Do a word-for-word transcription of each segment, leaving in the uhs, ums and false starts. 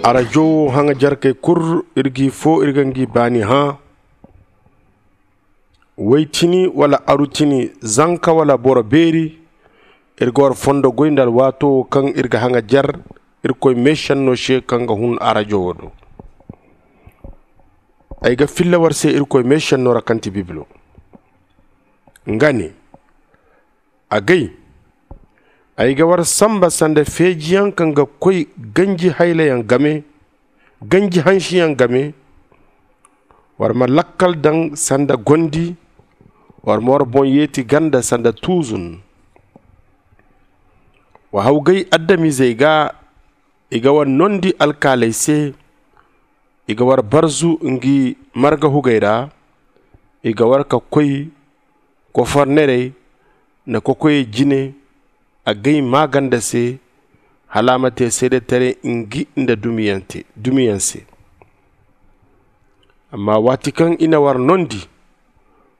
Arajo haŋajarkey kul, iri g'i fo iri ga ngi baani hã. Waytini wala arutini, zanka wala boro beeri, iri ga war fondo goy nda alwaato wo kaŋ iri ga haŋajar irkoy meesenno se kaŋ ga hun arajo wo do. Ay ga filla war se irkoy meesenno ra kaŋ ti bibilo. Nga ne, agay, ay ga war samba sanda feejiyaŋ kaŋ ga koy ganji haylayaŋ game, ganji hansiyaŋ game. War ma lakkal daŋ sanda gondi, war ma war boŋ yeeti ganda sanda tuuzun. Wa hawgay adamizey ga, i ga war nondi alkaaley se. I ga war barzu ngi marga hugey ra. I ga war ka koy kofornerey nda kokoyey jine, agay maaganda se, hala a ma te seedetaray ngi nda dumiyaŋ se. Amma waati kaŋ i na war nondi,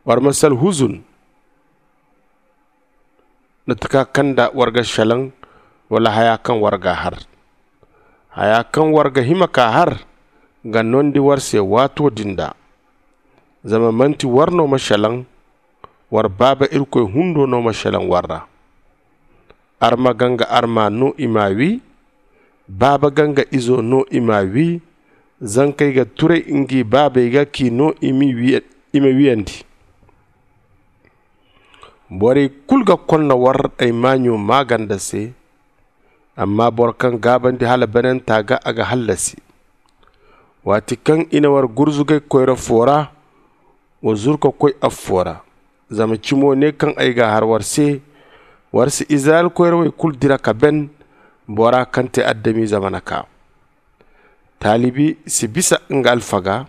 war ma si alhuzun nda taka kaŋ nda war ga salaŋ, wala haya kaŋ war ga a har. Haya kaŋ war ga hima ka har ga nondi war se waato din da. Zama manti war no ma salaŋ, war baaba irkoy hundo no ma salaŋ war ra. Arma ganga arma no i m'a wi. Baaba ganga izo no i m'a wi. Zankey ga turay ngi baabey ga k'i no i ma wiyandi. Borey kul ga konna war ay maaɲo maaganda se. Amma boro kaŋ gaabandi hala bananta ga a ga hallasi. Waati kaŋ i na war gurzugay koyra fo ra, wa zuru ka koy affo ra. Zama cimo ne kaŋ ay ga a har war se, war si izirayel koyrawey kul dira ka ben, bora kaŋ te adamize mana kaa. Taalibi si bisa nga alfaga,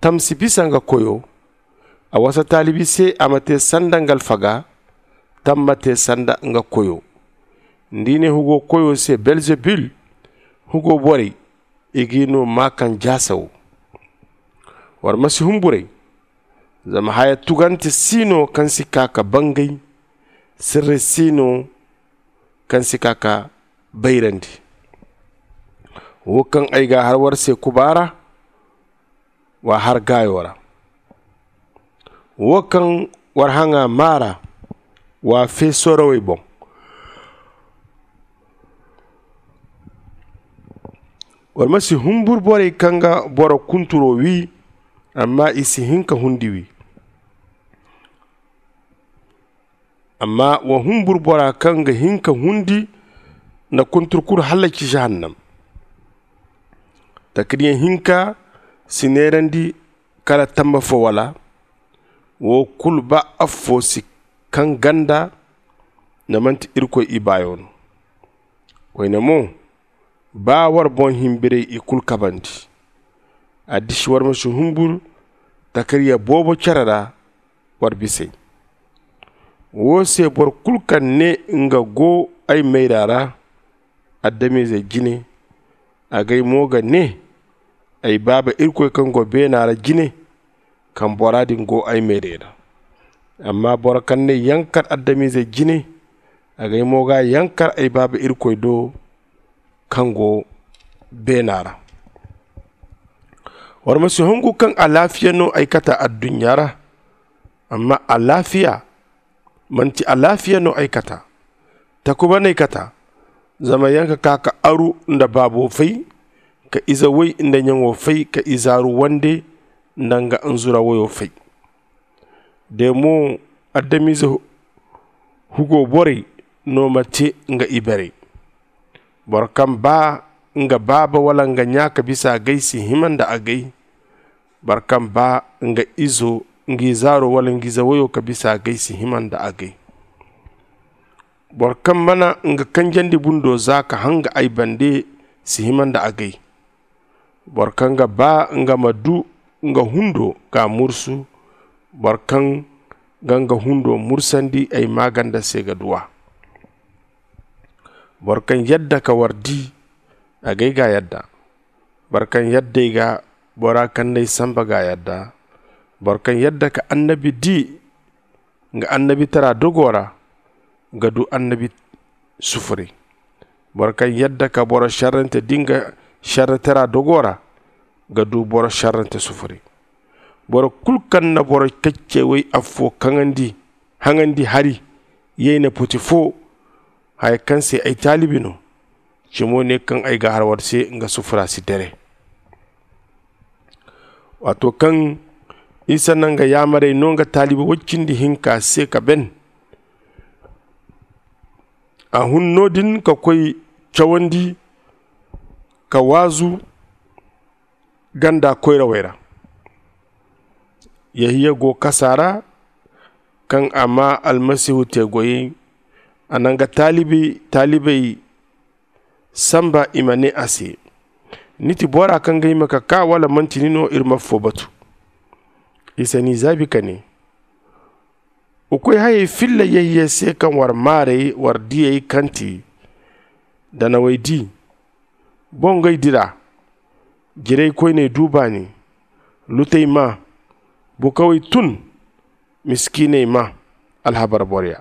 tam si bisa nga koyo. A wasa taalibi se a ma te sanda nga alfaga, tam ma te sanda nga koyo. Nda i ne hugo koyo se belzebul, hugo borey, i g'i no maa kaŋ jaasa wo. War ma si humburay. Zama haya tugante si no kaŋ si kaa ka bangay. Sirri si no kaŋ si kaa ka bayrandi. Wo kaŋ ay ga a har war se kuba ra, w'a har gaayo ra. Wo kaŋ war haŋa maa ra, w'a fee sorawey boŋ. War ma si humbur borey kaŋ ga boro kunturo wi, amma i si hin ka hundi wi. Amma wa humbur bora kaŋ ga hin ka hundi nda kuntur kulu hallaki jahannam. Takariyaŋ hinka si neerandi kala tamba fo wala? Wo kulu ba affo si kaŋ ganda nda manti irkoy ibaayo no. Koyne mo, ba war boŋ himbiray i kulu kabandi. A disi war ma si humbur takariya boobo care ra. War bisay wo se boro kulu kaŋ ne nga go ay mayra ra, adamize jine, agay mo ga ne, ay baaba irkoy kaŋ go beena ra jine, kaŋ bora din go ay meerey ra. Amma boro kaŋ ne yankar adamize jine, agay mo ga yankar ay baaba irkoy do kaŋ go beena ra. War ma si hungu kaŋ alaafiya no ay kata adduɲɲa ra. Amma alaafiya manti alaafiya no ay kata. Takuba no ay kata. Zama yaŋ ka kaa ka aru nda baabo fay, ka ize way nda ɲaŋo fay, ka izaaru wande nda nga nzura wayo fay. De mo adamize hugo borey no ma te nga ibeerey. Boro kaŋ ba nga baaba wala nga ɲa ka bisa agay si hima nda agay. Boro kaŋ ba nga izo nga izaaro wala nga ize wayo ka bisa agay si hima nda agay. Boro kaŋ mana nga kanjandi bundo za ka hanga ay bande si hima nda agay. Boro kaŋ ga ba nga ma du nga hundo ga mursu. Boro kaŋ ga nga hundo mursandi ay maaganda se ga du a. Boro kaŋ yadda ka war di, agay ga a yadda. Boro kaŋ yadda ay ga bora kaŋ n'ay samba ga a yadda. Boro kaŋ yadda ka annabi di nga annabitara dogo ra, ga du annabi sufuray. Boro kaŋ yadda ka boro šerrante di nga šerretera dogo ra ga du boro šerrante sufuri. Boro kul kaŋ na boro kaccey woy affo kaŋandi haŋandi hari yayna poti fo, haya kaŋ se ay taalibi no, cimo ne kaŋ ay ga har war se nga sufura si dere. Waato kaŋ isa na nga yaamarey no nga taalibi woy cindi hinka se ka ben, a hun no- din ka koy cawandi ka waazu ganda koyrawey ra. Yehiya go kasa ra kaŋ a maa almasihu te goyey. A na nga taalibey samba i ma ne a se, ni ti bora kaŋ ga hima ka kaa wala manti ni no? Iri ma affo batu. Isa n'i zaabi ka ne, wa koy hayey filla yehiya se kaŋ war maarey war diyey kaŋ ti danawey di. Bongey dira, jiraykoyney du baani, lutey maa, bukawey tun, miskiiney maa alhabar boroya.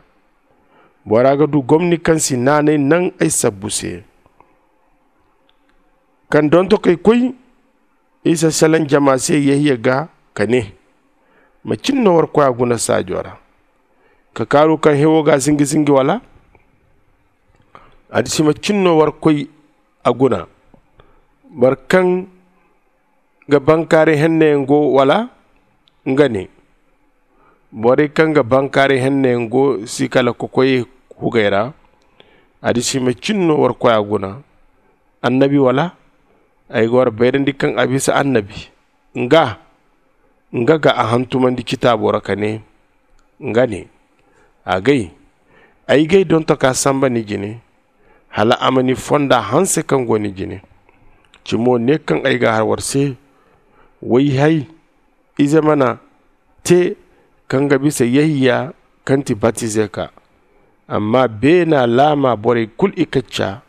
Bora ga du gomni kaŋ si naanay naŋ ay sabbu se. Kaŋ dontokey koy, isa salaŋ jama se yehiya gaa ka ne, macin no war koy a guna saajo ra? Ka kaaru kaŋ hewo ga zingi zingi wala? Adisi macin no war koy a guna? Boro kaŋ ga bankaaray henneyaŋ go wala? Nga ne, borey kaŋ ga bankaaray henneyaŋ go si kala kokoyey hugey ra. Adisi macin no war koy a guna? Annabi wala? Ay ga war bayrandi kaŋ a bisa annabi. Nga nga ga a hantumandi citaabo ra ka ne, nga ne, agay, ay g'ay dontoka samba ni jine, hala a ma ni fonda hanse kaŋ go ni jine. Cimo ne kaŋ ay ga har war se, wayhay ize mana te kaŋ ga bisa yehiya kaŋ ti batizeka. Amma beena laama borey kul i kacca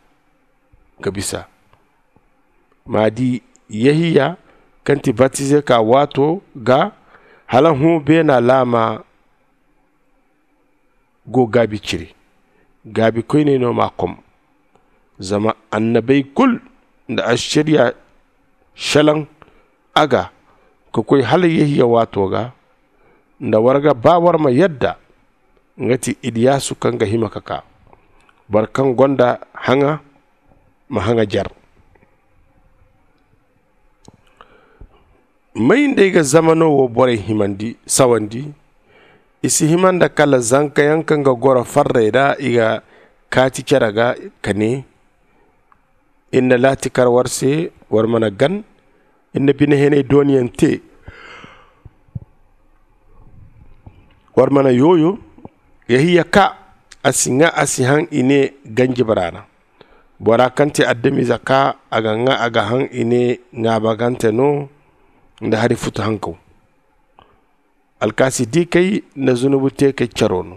ga bisa. Ma di, yehiya kaŋ ti batizeka waato ga hala hõ beena laama go gaabi cire. Gaabikoyney no m'a kom. Zama annabey kul nda ašariya šelaŋ a ga ka koy hala yehiya waato ga. Nda war ga ba war ma yadda, nga ti iliyasu kaŋ ga hima ka kaa. Boro kaŋ gonda haŋa ma haŋa jer. May nda ay ga zamano wo borey himandi sawandi? I si hima nda kala zankayaŋ kaŋ ga goro farrey ra i ga kaati cere ga ka ne, iri na laati kar war se, war mana gan. Iri na bine heney dooniyaŋ te, war mana yooyo. Yehiya kaa, a si ŋaa a si haŋ i ne ganjibara ra. Bora kaŋ ti adamize kaa, a ga ŋaa a ga haŋ i ne ŋaabagante no nda hari futu hankaw. Alkaasi diikey nda zunubu teekey caro no.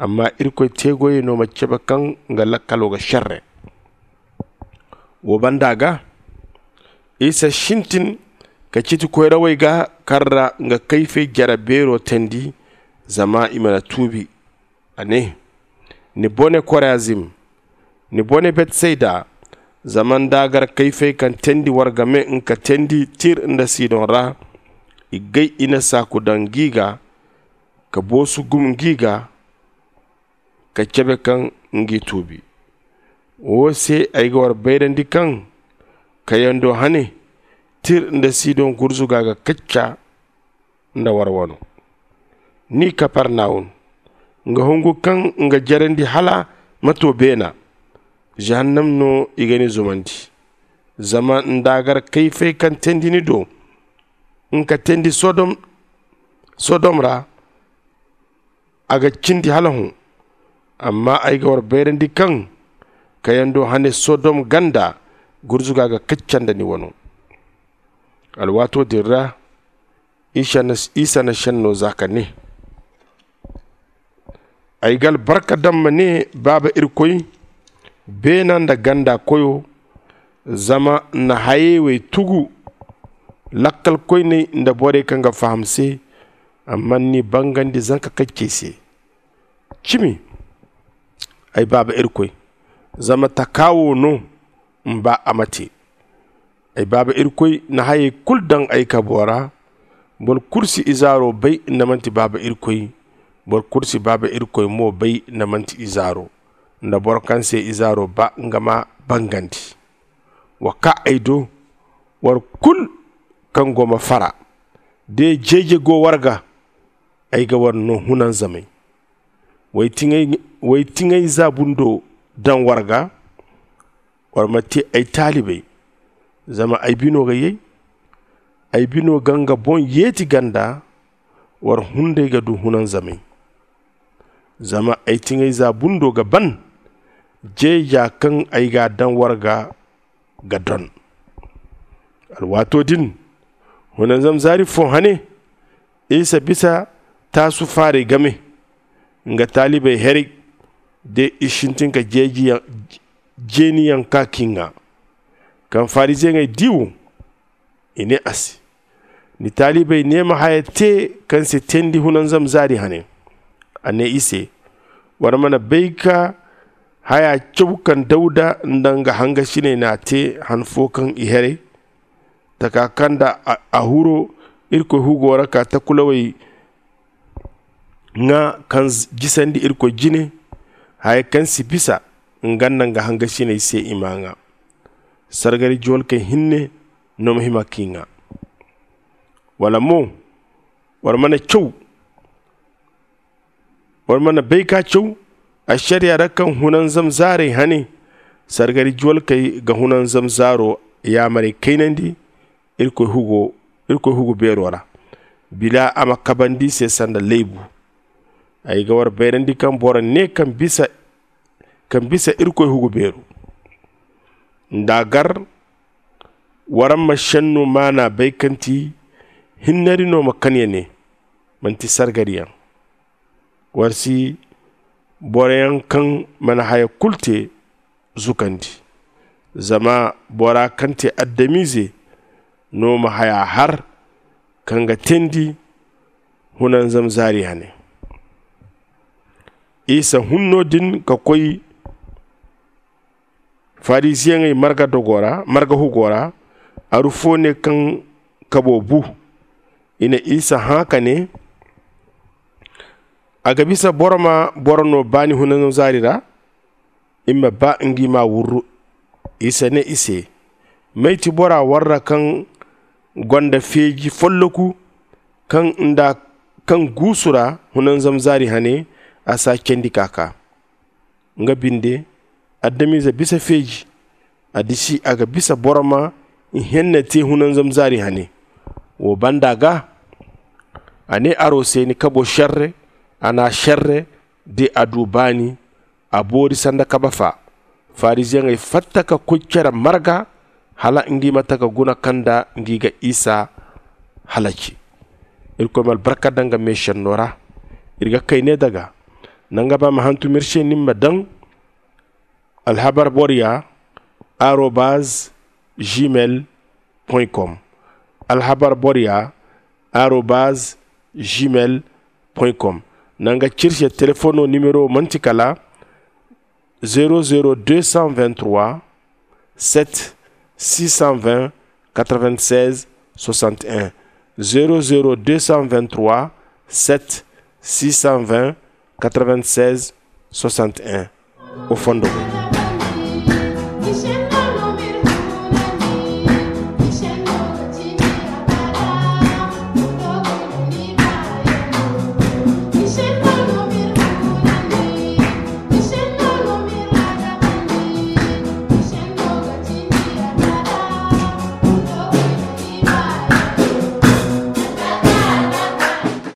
Amma irkoy teegoyey no ma cabe kaŋ nga lakkalo ga šerre. Wo banda ga, isa sintin ka citi koyrawey ga kaŋ ra nga kayfey jare beero teendi, zama i mana tuubi. A ne, ni bone korazim, ni bone betsayda. Zama nda a gar kayfey kaŋ teendi war game nga teendi tir nda sidon ra, i gay i na saaku daŋ ngi ga, ka boosu gum ngi ga, ka cabe kaŋ ngi tuubi. Wo se ay ga war bayrandi kaŋ kayando hane tir nda sidon gurzuga ga kacca nda war wano. Ni kapernawum, nga hungu kaŋ nga jarandi hala ma to beena, zahannam no i ga ni zumandi. Zama nda a gar kayfey kaŋ teendi ni do nga teendi sodom ra, a ga cindi hala hõ. Amma ay ga war bayrandi kaŋ kayando hane sodom ganda gurzuga ga kacca nda ni wano. Alwaato din ra isa na senno za ka ne, ay ga albarka daŋ ma ne baaba irkoy, beena nda ganda koyo, zama ni na hayey wey tugu lakkalkoyney nda borey kaŋ ga faham se. Amma ni n'i bangandi zanka kaccey se. Cimi, ay baaba irkoy, zama taka wo no ni ba a ma te. Ay baaba irkoy na hayey kulu daŋ ay kabo ra. Boro kulu si izaaro bay nda manti baaba irkoy. Boro kulu si baaba irkoy mo bay nda manti izaaro. Nda boro kaŋ se izaaro ba nga ma bangandi. Wa kaa ay do, war kulu kaŋ go ma fara. De jeeje go war ga, ay ga war no hunanzamay. Way tiŋay za bundo daŋ war ga. War ma te ay taalibey, zama ay bino ga yay. Ay bino ga nga boŋ yeeti ganda. War hunday ga du hunanzamay. Zama ay tiŋay za bundo ga ban. Jeeja kaŋ ay ga a daŋ war ga ga don. Alwaato din, hunanzam zaari fo hane, isa bisa taasu faaray game. Nga taalibey heray de i sintin ka jeeniyaŋ kaa kiŋ ŋa. Kaŋ fariziyeŋey di wo, i ne a se, ni taalibey ne ma haya te kaŋ si teendi hunanzam zaari hane. A ne i se, war mana bay ka haya caw kaŋ dawda nda nga hangasiney n'a te han fo kaŋ i heray taka kaŋ nda a huro irkoy hugo ra ka takulawey ŋwa kaŋ jisandi irkoy jine. Haya kaŋ si bisa nga nda nga hangasiney se i m'a ŋwa. Sargari juwalkey hinne no ma hima k'i ŋwa. Wala mo war mana caw war mana bay ka caw ašariya ra kaŋ hunanzam zaarey hane. Sargari juwalkey ga hunanzam zaaro yaamarey kaynandi irkoy hugu beero ra. Bila a ma kabandi se sanda laybu. Ay ga war bayrandi kaŋ boro ne kaŋ bisa irkoy hugu beero nda a gar. War ma senno maana bay kaŋ ti hinnari no ma kaŋ ya ne manti sargariyaŋ. War si boroyaŋ kaŋ mana haya kulu te zukandi. Zama bora kaŋ te adamize no ma haya har kaŋ ga teendi hunanzam zaari hane. Isa hun no- din ka koy fariziyeŋey marga hugo ra. Aru fo ne kaŋ kabo bu. I na isa hã ka ne, a ga bisa boro ma boro no baani hunanzam zaari ra? I ma ba ngi ma wurru. Isa ne i se, may ti bora warra kaŋ gonda feeji folloku kaŋ nda kaŋ guusu ra hunanzam zaari hane? A si a candi ka kaa. Nga binde adamize bisa feeji. A disi a ga bisa boro ma ihenna te hunanzam zaari hane. Wo banda ga a ne aro se ni kabo šerre. A na šerre de a du baani. A boori sanda kabe fa. Fariziyeŋey fatta ka koy cere marga hala ngi ma taka guna kaŋ nda ngi ga isa halaci. Irkoy ma albarka daŋ nga meesenno ra. Iri ga kay ne daga nanga ba ma hantum iri se ni ma daŋ alhabar boro ya arobaz gmail point com. Alhabar boro ya arobaz gmail point com. Nanga cirse telefono nimero manti kala zero zero deux cent vingt-trois sept six cent vingt quatre-vingt-seize soixante et un. Zero zero deux cent vingt-trois sept six cent vingt quatre-vingt-seize soixante et un. O fondo.